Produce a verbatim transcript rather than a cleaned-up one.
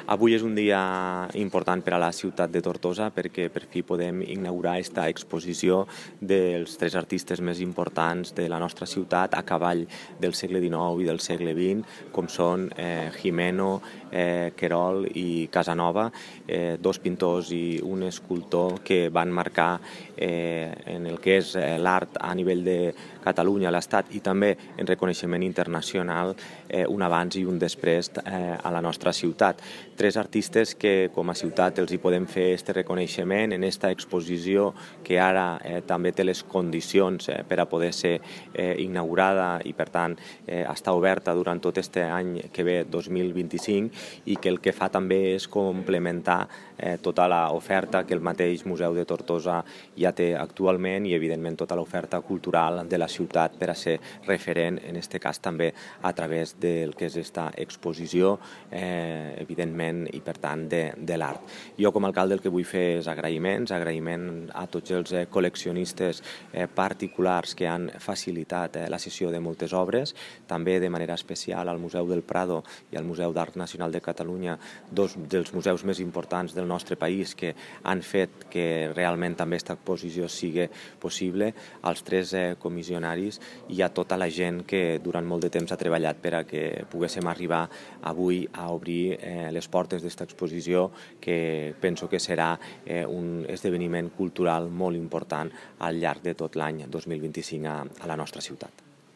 Avui és un dia important per a la ciutat de Tortosa perquè per fi podem inaugurar aquesta exposició dels tres artistes més importants de la nostra ciutat a cavall del segle dinou i del segle vint, com són eh, Gimeno, eh, Querol i Casanova, eh, dos pintors i un escultor que van marcar eh, en el que és eh, l'art a nivell de Catalunya, l'Estat i també en reconeixement internacional eh, un abans i un després eh, a la nostra ciutat. Tres artistes que com a ciutat els hi podem fer aquest reconeixement en aquesta exposició que ara eh, també té les condicions eh, per a poder ser eh, inaugurada i per tant eh, està oberta durant tot aquest any que ve dos mil vint-i-cinc i que el que fa també és complementar eh, tota l'oferta que el mateix Museu de Tortosa ja té actualment i evidentment tota l'oferta cultural de la ciutat per a ser referent, en aquest cas també a través del que és aquesta exposició, eh, evidentment, i per tant de, de l'art. Jo com a alcalde el que vull fer és agraïments, agraïment a tots els eh, col·leccionistes eh, particulars que han facilitat eh, la cessió de moltes obres, també de manera especial al Museu del Prado i al Museu d'Art Nacional de Catalunya, dos dels museus més importants del nostre país que han fet que realment també aquesta exposició sigui possible, als tres eh, comissionaris i a tota la gent que durant molt de temps ha treballat per a que poguéssim arribar avui a obrir eh, les portes d'aquesta exposició que penso que serà eh, un esdeveniment cultural molt important al llarg de tot l'any dos mil vint-i-cinc a, a la nostra ciutat.